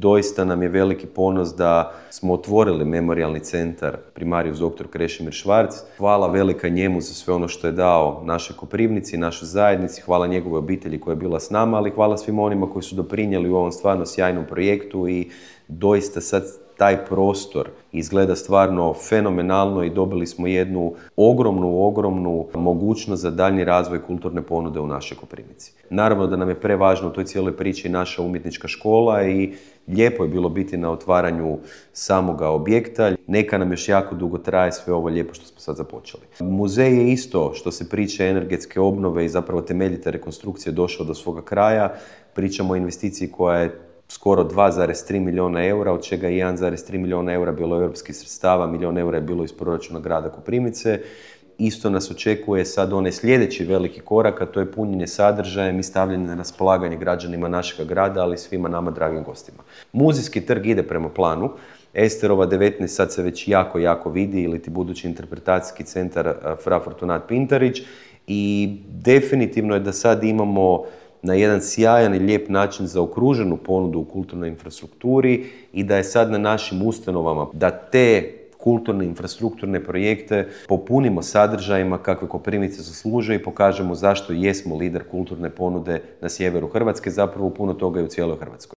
doista nam je veliki ponos da smo otvorili memorijalni centar Primarius dr. Krešimir Švarc. Hvala velika njemu za sve ono što je dao našoj Koprivnici, našoj zajednici, hvala njegovoj obitelji koja je bila s nama, ali hvala svim onima koji su doprinijeli u ovom stvarno sjajnom projektu i doista sad taj prostor izgleda stvarno fenomenalno i dobili smo jednu ogromnu mogućnost za daljnji razvoj kulturne ponude u našoj Koprivnici. Naravno da nam je prevažno u toj cijeloj priči naša umjetnička škola i lijepo je bilo biti na otvaranju samoga objekta. Neka nam još jako dugo traje sve ovo lijepo što smo sad započeli. Muzej je isto što se priče energetske obnove i zapravo temeljite rekonstrukcije došao do svoga kraja. Pričamo o investiciji koja je skoro 2,3 milijuna eura, od čega je 1,3 milijuna eura bilo europskih sredstava, milijun eura je bilo iz proračuna grada Koprivnice. Isto nas očekuje sad onaj sljedeći veliki korak, a to je punjenje sadržajem i stavljanje na raspolaganje građanima našega grada, ali i svima nama dragim gostima. Muzejski trg ide prema planu. Esterova 19 sad se već jako vidi, ili ti budući interpretacijski centar Fra Fortunat Pintarić, i definitivno je da sad imamo na jedan sjajan i lijep način zaokruženu ponudu u kulturnoj infrastrukturi i da je sad na našim ustanovama da te kulturne infrastrukturne projekte popunimo sadržajima kakve Koprivnica zaslužuje i pokažemo zašto jesmo lider kulturne ponude na sjeveru Hrvatske, zapravo puno toga i u cijeloj Hrvatskoj.